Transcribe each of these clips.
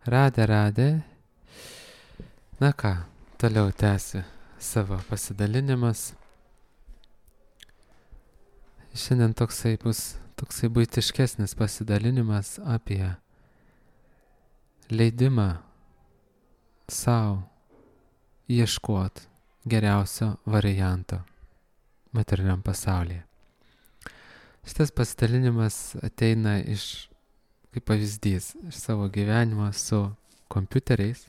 Radė. Na ką, toliau tęsiu savo pasidalinimas. Šiandien toksai buitiškesnis pasidalinimas apie leidimą savo ieškoti geriausio varianto materialiam pasaulyje. Šitas pasidalinimas ateina kaip pavyzdys iš savo gyvenimo su kompiuteriais,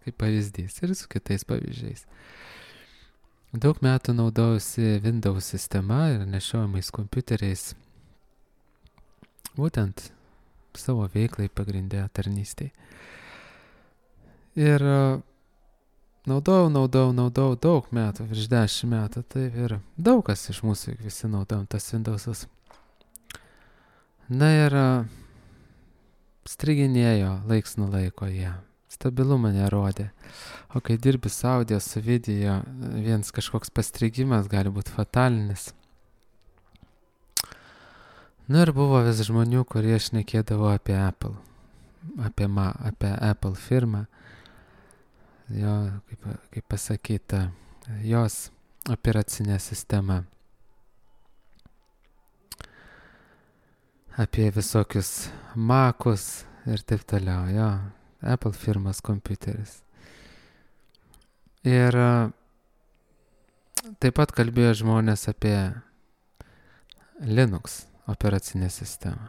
kaip pavyzdys ir su kitais pavyzdžiais. Daug metų naudojausi Windows sistema ir nešiojamais kompiuteriais, būtent savo veiklai pagrindė tarnystėj. Ir naudojau daug metų, virš 10 metų, taip ir daug kas iš mūsų visi naudojam tas Windows'us. Na ir striginėjo laiks nuo laiko jie. Stabilumą nerodė. O kai dirbi su audio, su video, vienas kažkoks pastrigimas gali būti fatalinis. Nu ir buvo vis žmonių, kurie šnekėdavo apie Apple. Apie Apple firmą. Jo, kaip pasakyta, jos operacinė sistema. Apie visokius Mac'us ir taip toliau, jo. Apple firmas kompiuteris. Ir taip pat kalbėjo žmonės apie Linux operacinę sistemą.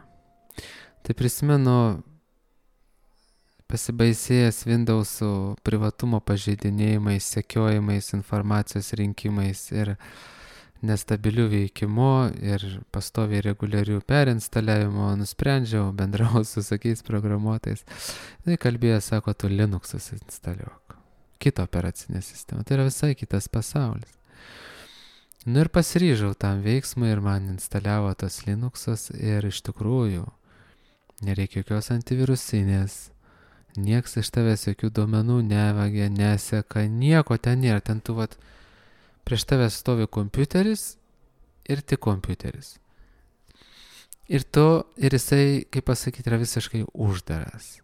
Tai prisimenu, pasibaisėjęs Windows'ų privatumo pažeidinėjimais, sekiojimais, informacijos rinkimais ir nestabilių veikimu ir pastoviai reguliarių perinstaliavimo, nusprendžiau, bendrau su sakiais programuotais. Tai kalbėjo, sako, tu Linux'us instaliuok. Kitą operacinę sistemą. Tai yra visai kitas pasaulis. Nu ir pasiryžau tam veiksmui ir man instaliavo tos Linux'us ir iš tikrųjų nereikia jokios antivirusinės. Nieks iš tavęs jokių duomenų nevagia, neseka, nieko ten nėra. Ten tu prieš tavę stovi kompiuteris ir tik kompiuteris. Ir jisai, kaip pasakyti, yra visiškai uždaras.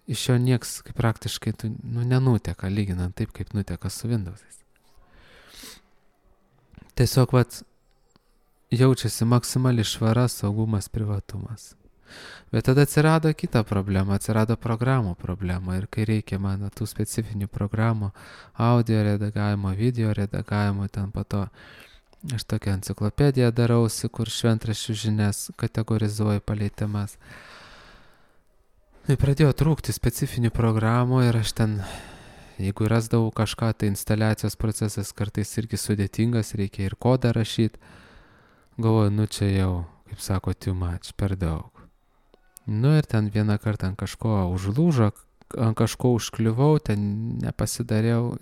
Iš jo nieks, kaip praktiškai, nenuteka, lyginant taip, kaip nuteka su Windows'ais. Tiesiog, jaučiasi maksimali švara, saugumas, privatumas. Bet tada atsirado kita problema, atsirado programų problema ir kai reikia man tų specifinių programų, audio redagavimo, video redagavimo, ten po to aš tokią enciklopediją darausi, kur šventraščių žinias kategorizuoju palei temas. Ir pradėjo trūkti specifinių programų ir aš ten, jeigu rasdavau kažką, tai instaliacijos procesas kartais irgi sudėtingas, reikia ir kodą rašyti. Galvoju, čia jau, kaip sako, too much, per daug. Nu ir ten vieną kartą ant kažko užlūžo, ant kažko užkliuvau, ten nepasidariau,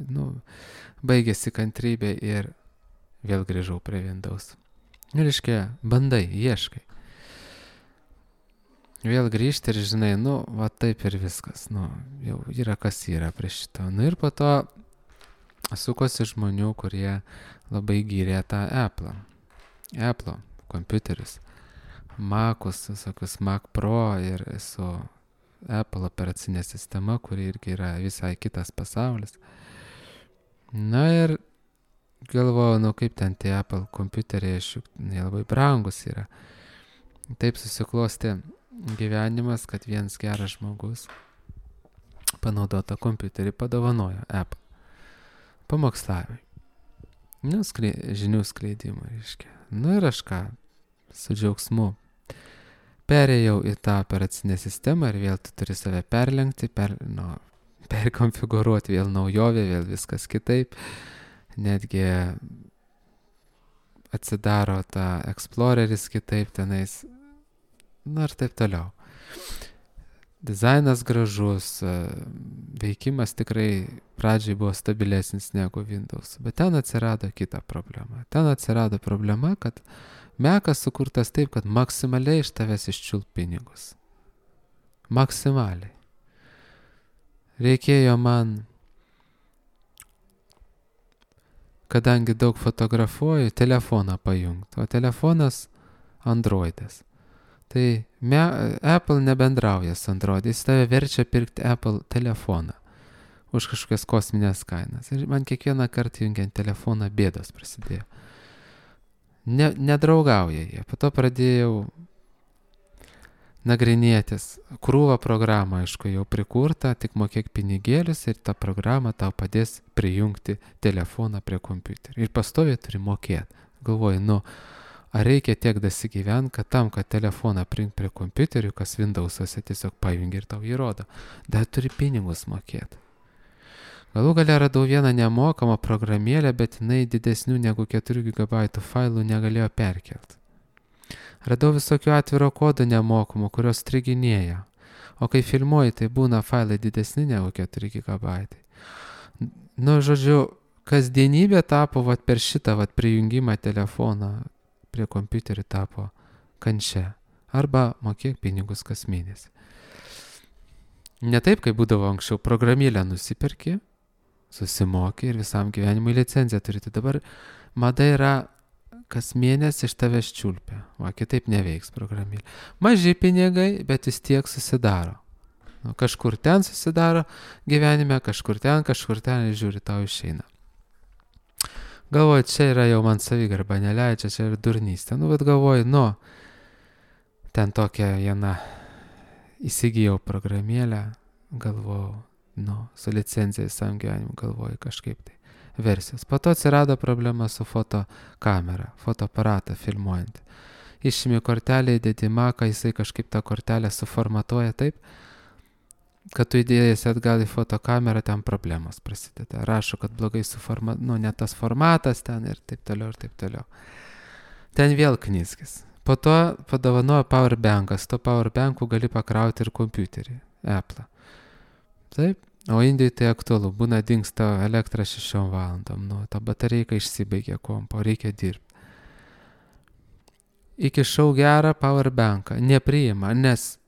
baigėsi kantrybė ir vėl grįžau prie Windows. Ir reiškia, bandai, ieškai. Vėl grįžti ir žinai, taip ir viskas, jau yra kas yra prie šito. Nu ir po to sukosi žmonių, kurie labai gyrė tą Apple kompiuterius. Mac'us, visokius Mac Pro ir su Apple operacinė sistema, kuri irgi yra visai kitas pasaulis. Na ir galvojau, kaip ten tie Apple kompiuteriai, jie labai brangus yra. Taip susiklostė gyvenimas, kad vienas geras žmogus panaudotą kompiuterį padovanojo Apple. Pamokslavimui. Žinių skleidimui, reiškia. Ir aš su džiaugsmu perėjau į tą operacinę sistemą ir vėl tu turi save perlenkti, perkonfigūruoti, vėl naujovė, vėl viskas kitaip. Netgi atsidaro tą Exploreris kitaip tenais. Ir taip toliau. Dizainas gražus, veikimas tikrai pradžiai buvo stabilesnis negu Windows. Bet ten atsirado kita problema. Ten atsirado problema, kad Mac'as sukurtas taip, kad maksimaliai iš tavęs iščiult pinigus. Maksimaliai. Reikėjo man, kadangi daug fotografuoju, telefoną pajungti. O telefonas Androidas. Tai Apple nebendrauja su Android, jis tave verčia pirkti Apple telefoną už kažkokias kosminės kainas. Ir man kiekvieną kartą jungiant telefoną bėdos prasidėjo. Nedraugauja jie. Po to pradėjau nagrinėtis. Krūvą programą, aišku, jau prikurta, tik mokėk pinigėlius ir ta programa tau padės prijungti telefoną prie kompiuterio. Ir pastoviai turi mokėti. Galvoju, ar reikia tiek dasigyvent, kad tam, kad telefoną prijungti prie kompiuterio, kas Windows'ose tiesiog pajungi ir tau įrodo. Dar turi pinigus mokėti. Galų gale radau vieną nemokamą programėlę, bet jinai didesnių negu 4 GB failų negalėjo perkelti. Radau visokių atviro kodų nemokamų, kurios striginėja. O kai filmuoji, tai būna failai didesni negu 4 GB. Žodžiu, kasdienybė tapo per šitą prijungimą telefoną prie kompiuterių tapo kančia. Arba mokėk pinigus kas mėnesį. Ne taip, kaip būdavo anksčiau, programėlę nusiperki, susimokė ir visam gyvenimui licenciją turite. Dabar mada yra kas mėnesį iš tavęs čiulpia. Kitaip neveiks programėlė. Maži pinigai, bet vis tiek susidaro. Kažkur ten susidaro gyvenime, kažkur ten ir žiūri, tau išeina. Galvoju, čia yra jau man savigarba neleidžia, čia ir durnystė. Bet galvoju, ten tokią vieną įsigijau programėlę, galvojau, su licencija visam gyvenimu, galvoju kažkaip tai versijos. Po to atsirado problema su fotokamera, fotoaparatą filmuojant. Išimi kortelę, įdėti Maką, jisai kažkaip tą kortelę suformatuoja taip, kad tu įdėjęs atgal į fotokamerą, ten problemos prasideda. Rašo, kad blogai ne tas formatas ten ir taip toliau, ir taip toliau. Ten vėl knizgis. Po to padovanojo powerbankas. To powerbanku gali pakrauti ir kompiuterį, Apple. Taip, o Indijai tai aktualu, būna dingsta elektra 6 valandom, ta batareika išsibaigė kompo, reikia dirbti. Įkišau gerą powerbanką, nepriima, nes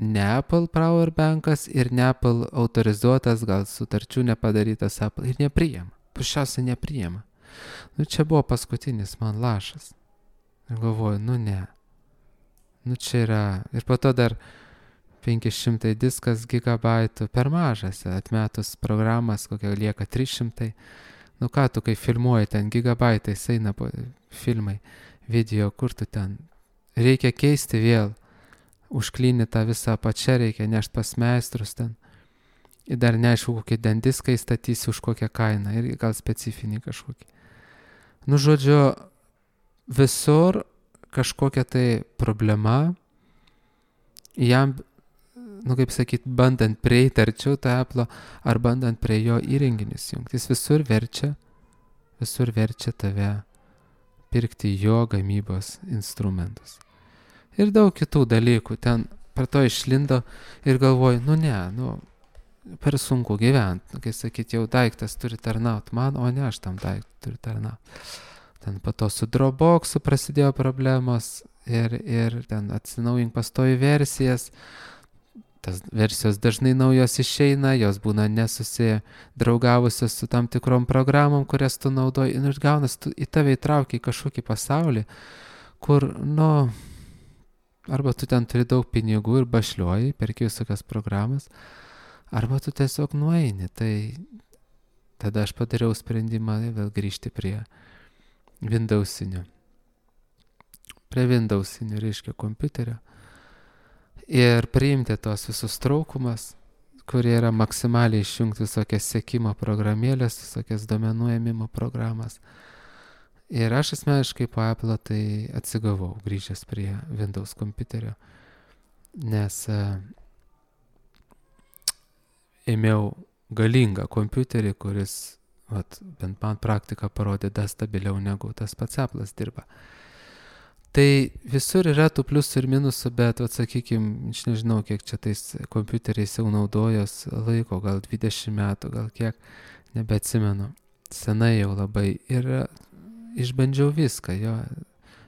ne Apple powerbankas ir ne Apple autorizuotas, gal sutarčių nepadarytas Apple, ir nepriima, pušiausiai nepriima. Čia buvo paskutinis man lašas. Ir galvoju, ne. Čia yra, ir po to dar 500 diskas gigabaitų per mažas, atmetus programas, kokia lieka 300. Ką tu, kai filmuoji, ten gigabaitais eina filmai, video, kur tu ten. Reikia keisti vėl, užklynį tą visą apačią, reikia nešti pas meistrus ten. Ir dar neaišku, kokie ten diskai statysi už kokią kainą, ir gal specifinį kažkokį. Žodžiu, visur kažkokia tai problema, jam, kaip sakyt, bandant prieiti arčiau tą Apple, ar bandant prie jo įrenginius jungti. Jis visur verčia tave pirkti jo gamybos instrumentus. Ir daug kitų dalykų. Ten per to išlindo ir galvoju, per sunku gyventi. Kai sakyt, jau daiktas turi tarnauti man, o ne aš tam daiktui turiu tarnauti. Ten po to su Dropbox'u prasidėjo problemos ir ten atsinaujink pastovi versijas. Tas versijos dažnai naujos išeina, jos būna nesusidraugavusios su tam tikrom programom, kurias tu naudoji. Ir gaunas, tu į tave įtraukia į kažkokį pasaulį, kur, arba tu ten turi daug pinigų ir bašliuoji, perki visokias programas, arba tu tiesiog nueini. Tai tada aš padariau sprendimą vėl grįžti prie Windows'inio. Reiškia kompiuterio. Ir priimti tos visus traukumas, kurie yra maksimaliai išjungti visokias sekimo programėlės, visokias duomenų ėmimo programas. Ir aš asmeniškai po Apple tai atsigavau, grįžęs prie Windows kompiuterio, nes ėmiau galingą kompiuterį, kuris, bent man praktika parodė, dar stabiliau negu tas pats Apple'as dirba. Tai visur yra tų pliusų ir minusų, bet, sakykime, aš nežinau, kiek čia tais kompiuteriais jau naudojos laiko, gal 20 metų, gal kiek, nebeatsimenu. Senai jau labai. Ir išbandžiau viską,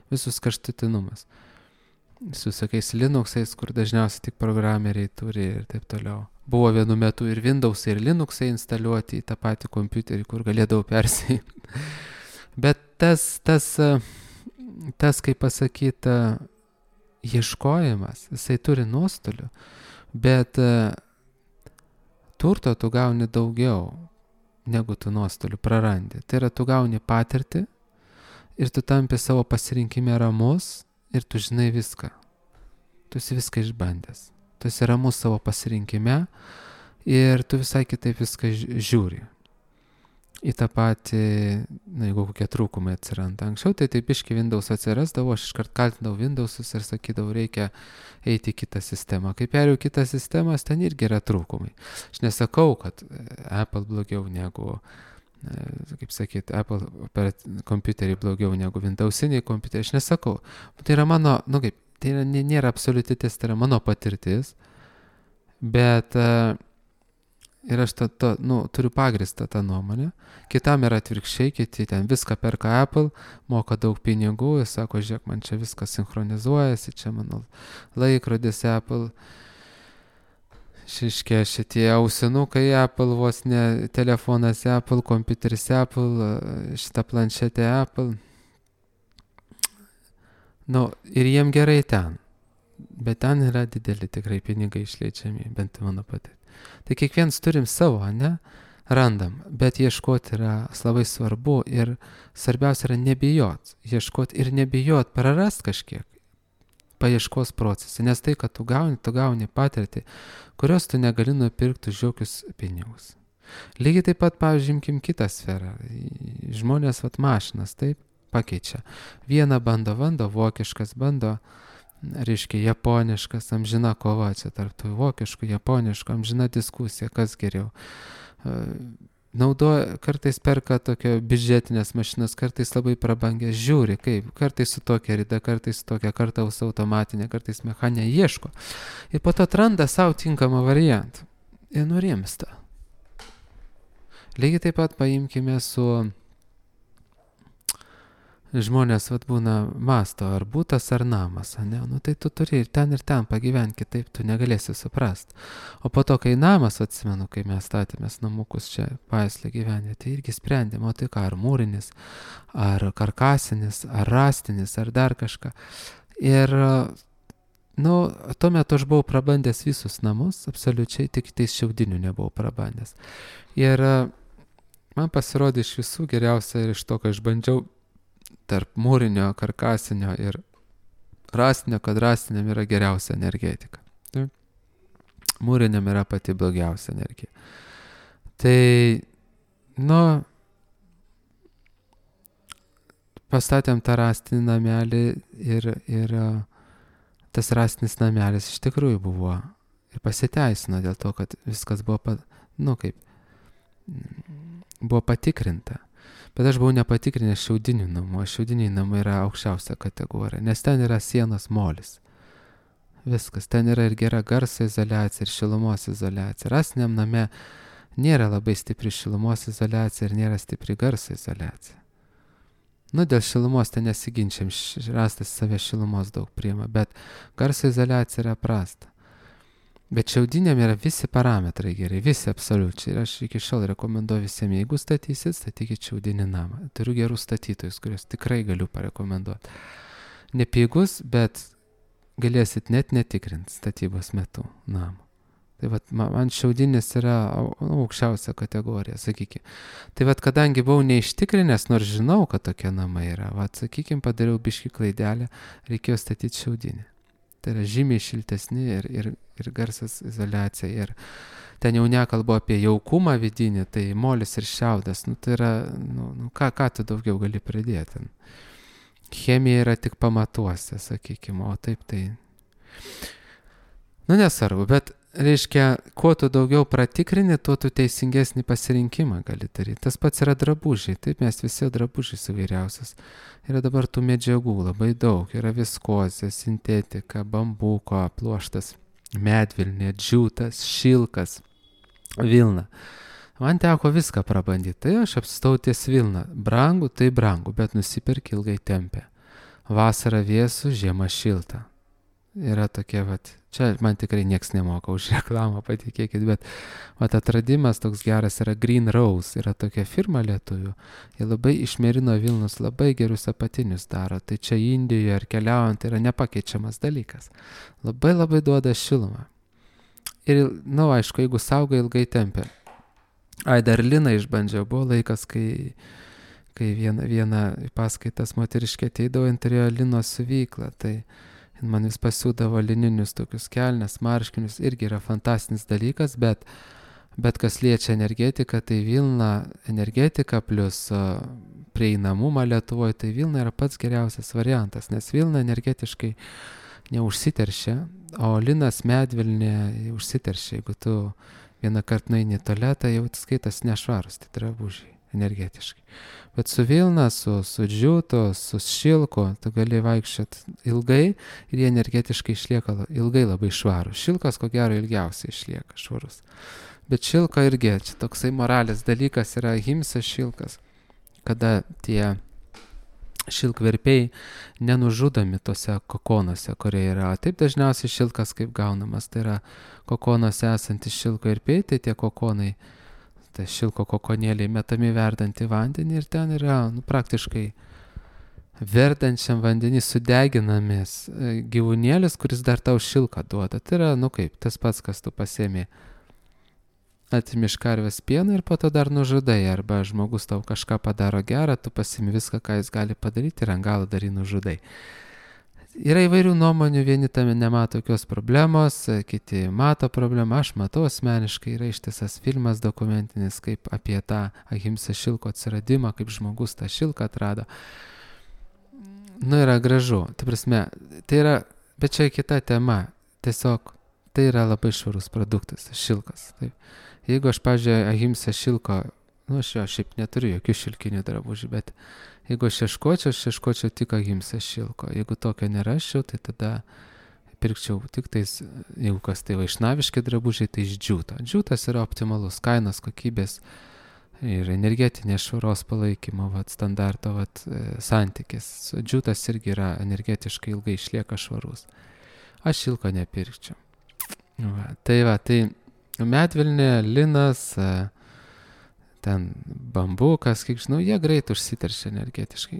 visus kraštutinumus. Su tokiais Linuxais, kur dažniausiai tik programeriai turi ir taip toliau. Buvo vienu metu ir Windowsai, ir Linuxai instaliuoti į tą patį kompiuterį, kur galėdavau persijimti. Bet tas, kaip pasakyta, ieškojimas, jisai turi nuostolių, bet turto tu gauni daugiau, negu tu nuostolių prarandi. Tai yra, tu gauni patirtį ir tu tampi savo pasirinkime ramus ir tu žinai viską. Tu esi viską išbandęs. Tu esi ramus savo pasirinkime ir tu visai kitaip viską žiūri. Į tą patį, jeigu kokie trūkumai atsiranda. Anksčiau tai taip biški Windows atsirasdavo, aš iškart kaltindavau Windowsus ir sakydavau, reikia eiti į kitą sistemą. Kai perėjau kitą sistemą, ten irgi yra trūkumai. Aš nesakau, kad Apple blogiau negu, kaip sakyti, Apple kompiuteriai blogiau negu Windowsiniai kompiuteriai. Aš nesakau. Tai yra mano, tai nėra absoliuti tiesa, tai yra mano patirtis, bet ir aš turiu pagristą tą nuomonę. Kitam yra atvirkščiai, kiti ten viską perka Apple, moka daug pinigų ir sako, žiūrėk, man čia viskas sinchronizuojasi, čia mano laikrodis Apple, šitie ausinukai Apple, vos ne telefonas Apple, kompiuteris Apple, šita planšetė Apple. Ir jiem gerai ten, bet ten yra dideli tikrai pinigai išleidžiami, bent mano patirtis. Tai kiekvienas turim savo, randam, bet ieškoti yra labai svarbu ir svarbiausia yra nebijot, ieškoti ir nebijot prarast kažkiek paieškos procesą, nes tai, kad tu gauni patirtį, kurios tu negali nupirkti už jokius pinigus. Lygiai taip pat, pavyzdžiui, imkim kitą sferą, žmonės mašinas, taip, pakeičia. Vieną bando, vokiškas bando, reiškia japoniškas, amžina kova čia tarp tų vokiškų, japoniškų, amžina diskusija, kas geriau. Kartais perka tokio biudžetinės mašinas, kartais labai prabangę, žiūri, kaip, kartais su tokia rida, kartais su tokia kartaus automatinė, kartais mechaninė, ieško. Ir po to atranda savo tinkamą variantą ir nurimsta. Lygiai taip pat paimkime su žmonės būna masto, ar būtas, ar namas, tai tu turi ir ten pagyventi, kitaip tu negalėsi suprast. O po to, kai namas, atsimenu, kai mes statėmės namukus čia Paeslį gyvenė, tai irgi sprendėm, o tai ką, ar mūrinis, ar karkasinis, ar rastinis, ar dar kažką. Ir, tuo metu aš buvau prabandęs visus namus, absoliučiai, tik tais šiaudinių nebuvau prabandęs. Ir man pasirodė iš visų geriausia ir iš to, ką aš bandžiau, tarp mūrinio, karkasinio ir rastinio, kad rastiniam yra geriausia energetika. Mūriniam yra pati blogiausia energija. Tai, pastatėm tą rastinį namelį ir tas rastinis namelis iš tikrųjų buvo ir pasiteisino dėl to, kad viskas buvo, buvo patikrinta. Bet aš buvau nepatikrinęs šiaudinių namų, šiaudiniai namai yra aukščiausia kategorija, nes ten yra sienos molis. Viskas, ten yra ir gera garso izoliacija, ir šilumos izoliacija. Rastiniam name nėra labai stipri šilumos izoliacija ir nėra stipri garso izoliacija. Dėl šilumos ten nesiginčiam, rastas save šilumos daug priima, bet garso izoliacija yra prasta. Bet šiaudiniam yra visi parametrai gerai, visi absoliučiai. Ir aš iki šiol rekomenduoju visiems, jeigu statysit, statykit šiaudinį namą. Turiu gerų statytojus, kuriuos tikrai galiu parekomenduoti. Nepigus, bet galėsit net netikrinti statybos metu namą. Tai man šiaudinis yra aukščiausia kategorija, sakykime. Tai kadangi buvau neištikrinęs, nors žinau, kad tokie namai yra, sakykime, padariau biškį klaidelę, reikėjo statyti šiaudinį. Tai yra žymiai šiltesni ir garsas izoliacija. Ir ten jau nekalbu apie jaukumą vidinį, tai molis ir šiaudas. Tai yra, ką tu daugiau gali pridėti. Chemija yra tik pamatuose, sakykime, o taip tai. Nesvarbu, bet reiškia, kuo tu daugiau pratikrini, tuo tu teisingesnį pasirinkimą gali daryti. Tas pats yra drabužiai, taip mes visi drabužiai įvairiausias. Yra dabar tų medžiagų labai daug, yra viskozė, sintetika, bambuko, pluoštas, medvilnė, džiūtas, šilkas, vilna. Man teko viską prabandyti, tai aš apsistau ties vilna. Brangu, tai brangu, bet nusipirk ilgai tempė. Vasara vėsų, žiema šilta. Yra tokie Čia man tikrai nieks nemoka už reklamą, patikėkit, bet atradimas toks geras yra Green Rose, yra tokia firma lietuvių. Jie labai iš merino vilnos labai gerus apatinius daro, tai čia Indijoje ar keliaujant yra nepakeičiamas dalykas. Labai labai duoda šilumą. Ir, aišku, jeigu saugai ilgai tempia. Dar liną išbandžiau, buvo laikas, kai viena paskaitas moteriškė ateidavo, jin turėjo lino siuvyklą, tai man vis pasiūdavo lininius tokius kelnes, marškinius, irgi yra fantastinis dalykas, bet kas liečia energetiką, tai Vilna energetika plus prieinamumą Lietuvoje, tai Vilna yra pats geriausias variantas, nes Vilna energetiškai neužsiteršia, o linas medvilnė užsiteršia. Jeigu tu vieną kartą nueini į tualetą, jau skaitas nešvarus, tai drabužiai energetiškai. Bet su Vilna, su džiūto, su šilko, tu gali vaikščioti ilgai ir jie energetiškai išlieka ilgai labai švarus. Šilkas, ko gero, ilgiausiai išlieka švarus. Bet šilko irgi, čia toksai moralės dalykas yra ahimsa šilkas, kada tie šilkverpiai nenužudomi tose kokonuose, kurie yra. Taip dažniausiai šilkas kaip gaunamas, tai yra kokonuose esantys šilkverpiai, tai tie kokonai, tai šilko kokonėliai metami verdant į vandenį ir ten yra praktiškai verdančiam vandenį sudeginamis gyvūnėlis, kuris dar tau šilką duoda. Tai yra, kaip tas pats, kas tu pasėmė. Atimi iš karvės pieną ir po to dar nužudai, arba žmogus tau kažką padaro gerą, tu pasimi viską, ką jis gali padaryti ir ant galo dar jį nužudai. Yra įvairių nuomonių, vieni tame nemato tokios problemos, kiti mato problemą, aš matau asmeniškai, yra ištisas filmas dokumentinis, kaip apie tą ahimsa šilko atsiradimą, kaip žmogus tą šilką atrado. Yra gražu, tai yra, bet čia kita tema, tiesiog tai yra labai švarus produktas, šilkas. Taip. Jeigu aš, pavyzdžiui, ahimsa šilko, aš jo šiaip neturiu jokių šilkinių drabužių, bet jeigu aš ieškočiau tik ahimsa šilko. Jeigu tokio nerasčiau, tai tada pirkčiau tik tais, jeigu kas tai vaišnaviški drabužiai, tai iš džiūto. Džiūtas yra optimalus kainos, kokybės ir energetinės švaros palaikymo standarto santykis. Džiūtas irgi yra energetiškai ilgai išlieka švarus. Aš šilko nepirkčiau. Tai medvilnė, linas, ten bambukas, kiek žinau, jie greit užsiteršia energetiškai.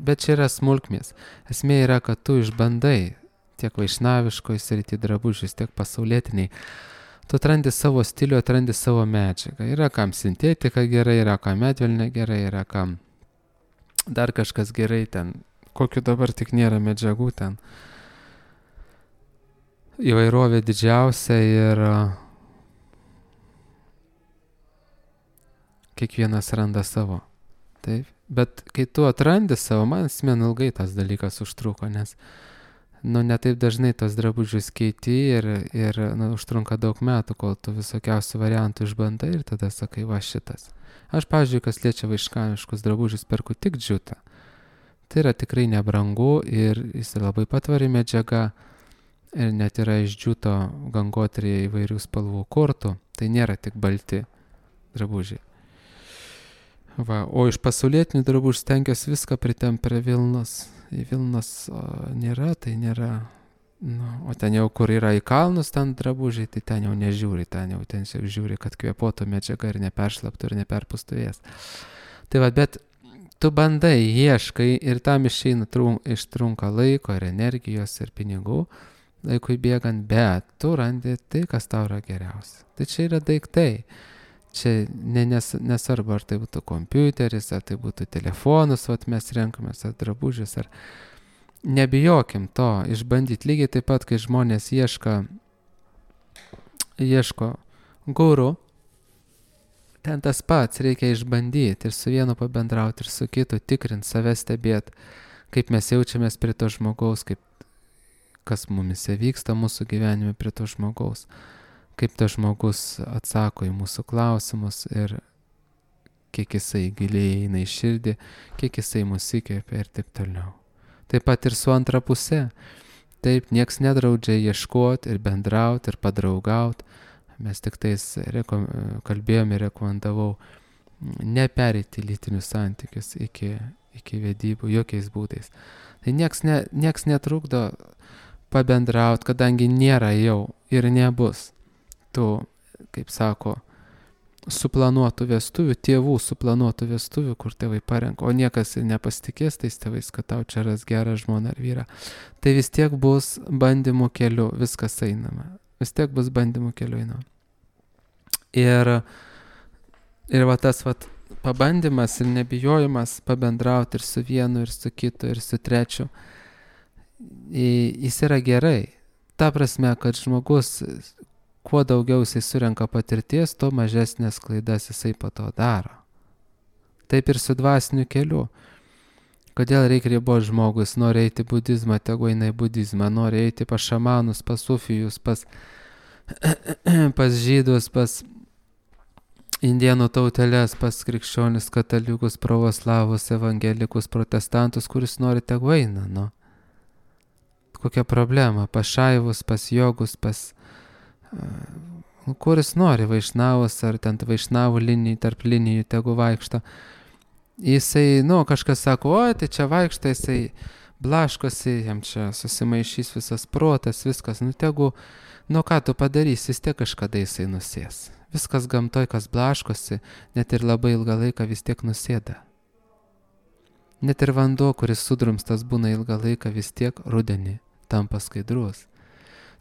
Bet čia yra smulkmės. Esmė yra, kad tu išbandai tiek vaišnaviškoj srity drabužius, tiek pasaulietiniai. Tu atrandi savo stilių, atrandi savo medžiagą. Yra kam sintetika gerai, yra kam medvilnė gerai, yra kam dar kažkas gerai ten. Kokiu dabar tik nėra medžiagų ten. Įvairovė didžiausia ir kiekvienas randa savo. Taip. Bet kai tu atrandi savo, man ilgai tas dalykas užtruko, nes ne taip dažnai tos drabužius keiti ir užtrunka daug metų, kol tu visokiausių variantų išbandai ir tada sakai, va šitas. Aš, pavyzdžiui, kas liečia vaišnaviškus drabužius, perku tik džiūtą. Tai yra tikrai nebrangu ir jis labai patvari medžiaga ir net yra iš džiūto gangotrėje įvairių spalvų kortų. Tai nėra tik balti drabužiai. O iš pasaulietinių drabužių stengiuosi viską pritempti prie Vilnos. Į Vilnos nėra, tai nėra. O ten jau, kur yra į kalnus ten drabužiai, tai ten jau nežiūri, ten žiūri, kad kvėpuotų medžiaga ir neperšlaptų ir neperpūstų vėjas. Tai bet tu bandai, ieškai ir tam ištrunka laiko ir energijos ir pinigų, laikui bėgant, bet tu randi tai, kas tau yra geriausia. Tai čia yra daiktai. Čia nesvarbu, ar tai būtų kompiuteris, ar tai būtų telefonus, mes renkamės, ar drabužius, ar nebijokim to, išbandyti lygiai taip pat, kai žmonės ieško guru, ten tas pats, reikia išbandyti ir su vienu pabendrauti, ir su kitu tikrinti, save stebėti, kaip mes jaučiamės prie to žmogaus, kas mumise vyksta mūsų gyvenime prie to žmogaus. Kaip tas žmogus atsako į mūsų klausimus ir kiek jisai giliai eina į širdį, kiek jisai mus įkvepia ir taip toliau. Taip pat ir su antra pusė. Taip, nieks nedraudžia ieškoti ir bendrauti ir padraugauti. Mes tik tais kalbėjome ir rekomendavau nepereiti lytinius santykius iki vedybų jokiais būdais. Tai nieks netrukdo pabendraut, kadangi nėra jau ir nebus tų, kaip sako, suplanuotų vestuvių, tėvų suplanuotų vestuvių, kur tėvai parenka, o niekas ir nepasitikės tais tėvais, kad tau čia ras gerą žmoną ar vyrą. Tai vis tiek bus bandymų keliu, viskas einama. Vis tiek bus bandymų keliu einama. Ir va tas va pabandymas ir nebijojimas pabendrauti ir su vienu, ir su kitu, ir su trečiu, jis yra gerai. Ta prasme, kad žmogus kuo daugiau jisai surenka patirties, tuo mažesnės klaidas jisai po to daro. Taip ir su dvasiniu keliu. Kodėl reikia riboti žmogui, jis nori eiti budizmą, tegu eina į budizmą, nori eiti pas šamanus, pas sufijus, pas žydus, pas indienų tauteles, pas krikščionis, katalikus, pravoslavus, evangelikus, protestantus, kuris nori, tegu eina, nu. Kokia problema? Pas šaivus, pas jogus, pas kuris nori, vaišnavus ar ten vaišnavų linijų, tarp linijų, tegu vaikšto. Jisai, kažkas sako, o, tai čia vaikšto, jisai blaškosi, jam čia susimaišys visas protas, viskas, tegu, ką tu padarysi, vis tiek kažkada jisai nusės. Viskas gamtoj, kas blaškosi, net ir labai ilgą laiką vis tiek nusėda. Net ir vanduo, kuris sudrumstas būna ilgą laiką, vis tiek rudenį tampa skaidrus.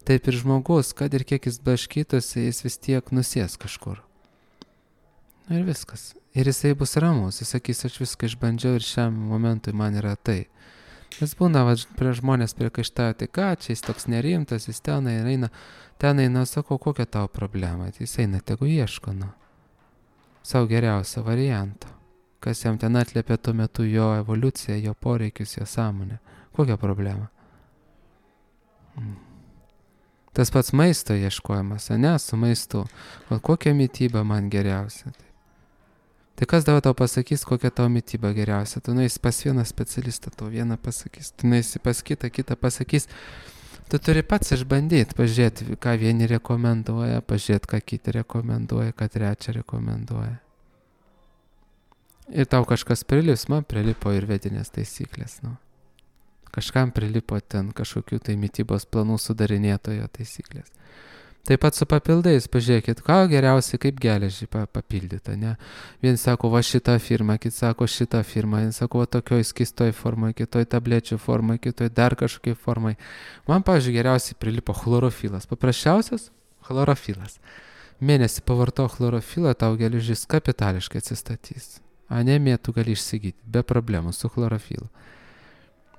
Taip ir žmogus, kad ir kiek jis blaškytųsi, jis vis tiek nusės kažkur. Ir viskas. Ir jisai bus ramus, jis sakys, aš viską išbandžiau ir šiam momentui man yra tai. Nes būna, prie žmonės priekaištauja, tai ką, čia jis toks nerimtas, jis ten eina, sakau, kokia tavo problema, jis eina, tegu ieško, savo geriausio varianto, kas jam ten atliepia tuo metu jo evoliuciją, jo poreikius, jo sąmonę. Kokia problema? Tas pats maisto ieškojimas, su maistu. O kokia mytyba man geriausia? Tai kas dabar tau pasakys, kokia tavo mytyba geriausia? Tu nueisi pas vieną specialistą, tau vieną pasakys. Tu nueisi pas kitą pasakys. Tu turi pats išbandyti, pažiūrėti, ką vieni rekomenduoja, pažiūrėti, ką kiti rekomenduoja, ką trečia rekomenduoja. Ir tau kažkas prilips, man prilipo ir vedinės taisyklės, Kažkam prilipo ten kažkokių tai mytybos planų sudarinėtojo taisyklės. Taip pat su papildais, pažiūrėkit, ką geriausiai kaip geležį papildyta, ne? Vien sako, va šitą firmą, kit sako šitą firmą, vien sako, va tokioj skistoj formai, kitoj tablečių formai, kitoj dar kažkokiai formai. Man, pavyzdžiui, geriausiai prilipo chlorofilas. Paprasčiausias chlorofilas. Mėnesį pavarto chlorofilą, tau geležis kapitališkai atsistatys. Anemiją tu gali išsigyti, be problemų, su chlorofilu.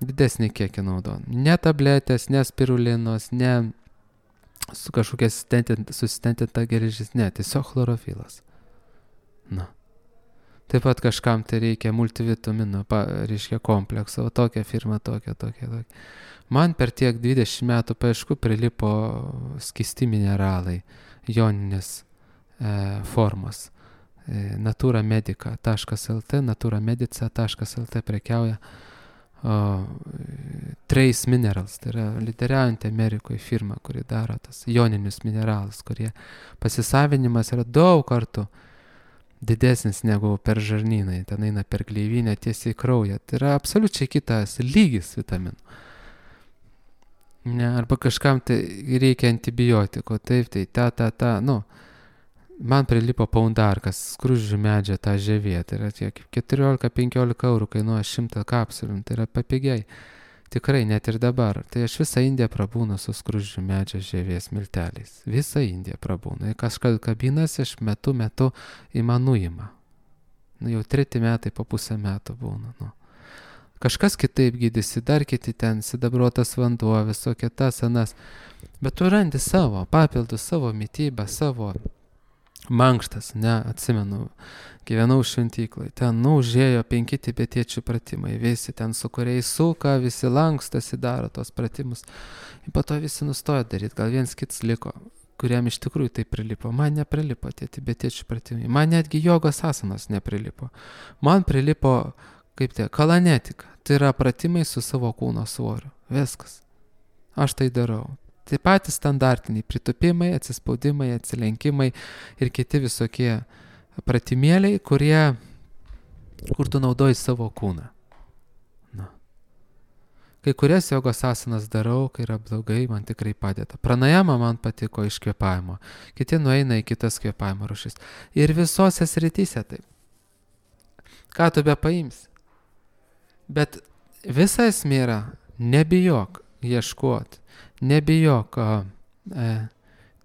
Didesnį kiekį naudojant. Ne tabletės, ne spirulinos, ne su kažkokia susistentinta geležis, ne, tiesiog chlorofilas. Taip pat kažkam tai reikia multivitamino, reiškia komplekso, tokia firma, tokia. Man per tiek 20 metų paieškų prilipo skisti mineralai, joninės formos. Naturamedica.lt, naturamedica.lt prekiauja Trace Minerals, tai yra lyderiaujanti Amerikoje firma, kuri daro tas joninius mineralus, kurie pasisavinimas yra daug kartų didesnis negu per žarnyną, ten eina per gleivinę tiesiai į kraują. Tai yra absoliučiai kitas lygis vitaminų. Ne, arba kažkam tai reikia antibiotiko, taip, tai man prilipo paundarkas, skruzdžių medžio tą žievė, tai yra tiek 14-15 eurų kainuoja 100 kapsulių, tai yra papigiai. Tikrai, net ir dabar. Tai aš visą Indiją prabūnu su skruzdžių medžio žievės milteliais. Visą Indiją prabūnu. Ir kažkas kabinasi, aš metu į man nuima. Jau 3 metai po pusę metų būna. Kažkas kitaip gydysi, dar kiti ten, sidabruotas vanduo, visokie tas, anas. Bet tu randi savo papildus, savo mytybą, savo mankštas, atsimenu, gyvenau šventyklai, ten užėjo 5 tibetiečių pratimai, visi ten su kuriais suka, visi lankstasi, daro tos pratimus. Ir po to visi nustojo daryti, gal viens kits liko, kuriam iš tikrųjų tai prilipo. Man neprilipo tie tibetiečių pratimai, man netgi jogos asanos neprilipo. Man prilipo, kalanetika, tai yra pratimai su savo kūno svoriu, viskas. Aš tai darau. Tai patys standartiniai pritupimai, atsispaudimai, atsilenkimai ir kiti visokie pratimėliai, kur tu naudoji savo kūną. Kai kurias jogos asanas darau, kai yra blogai, man tikrai padeda. Pranajama man patiko iš kvėpavimo. Kiti nueina į kitas kvėpavimo rušis. Ir visose srityse taip. Ką tu be paimsi? Bet visa esmė yra, nebijok ieškoti, nebijok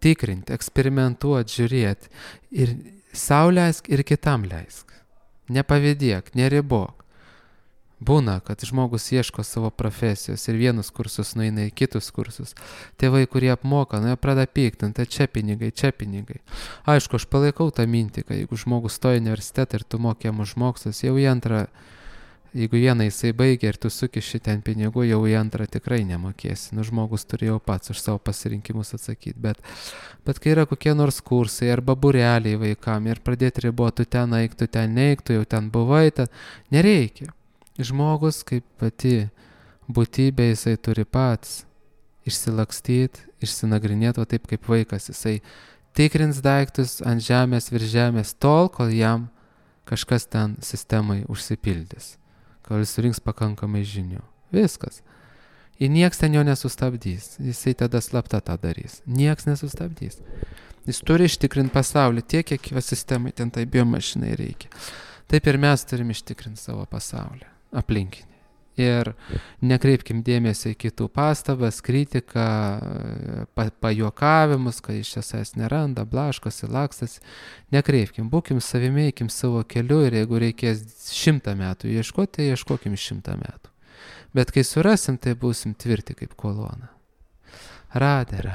tikrinti, eksperimentuoti, žiūrėti. Ir sau leisk, ir kitam leisk. Nepavydėk, neribok. Būna, kad žmogus ieško savo profesijos ir vienus kursus nueina į kitus kursus. Tėvai, kurie apmoka, jie pradeda piktinti, tai čia pinigai. Aišku, aš palaikau tą mintį, kad jeigu žmogus stoja į universitetą ir tu mokėm už mokslus, jau į antrą, jeigu vieną jisai baigia ir tu sukiši ten pinigų, jau į antrą tikrai nemokėsi. Žmogus turi jau pats už savo pasirinkimus atsakyti. Bet kai yra kokie nors kursai arba būreliai vaikam ir pradėti riboti, tu ten eik, tu ten neik, tu jau ten buvai, nereikia. Žmogus kaip pati būtybė, jisai turi pats išsilakstyti, išsinagrinėti, o taip kaip vaikas, jisai tikrins daiktus ant žemės, virš žemės, tol, kol jam kažkas ten sistemai užsipildys, kol jis surinks pakankamai žinių. Viskas. Ir nieks ten jo nesustabdys, jisai tada slapta tą darys. Nieks nesustabdys. Jis turi ištikrinti pasaulį tiek, kiek jo sistemai ten tai biomašinai reikia. Taip ir mes turim ištikrinti savo pasaulį. Aplinkinį. Ir nekreipkim dėmesio į kitų pastabas, kritiką, pajuokavimus, kad iš esmės neranda, blaškosi, lakstasi. Nekreipkim, būkim savimi, eikim savo keliu ir jeigu reikės 100 metų ieškoti, tai ieškokim 100 metų. Bet kai surasim, tai būsim tvirti kaip kolona. Radė.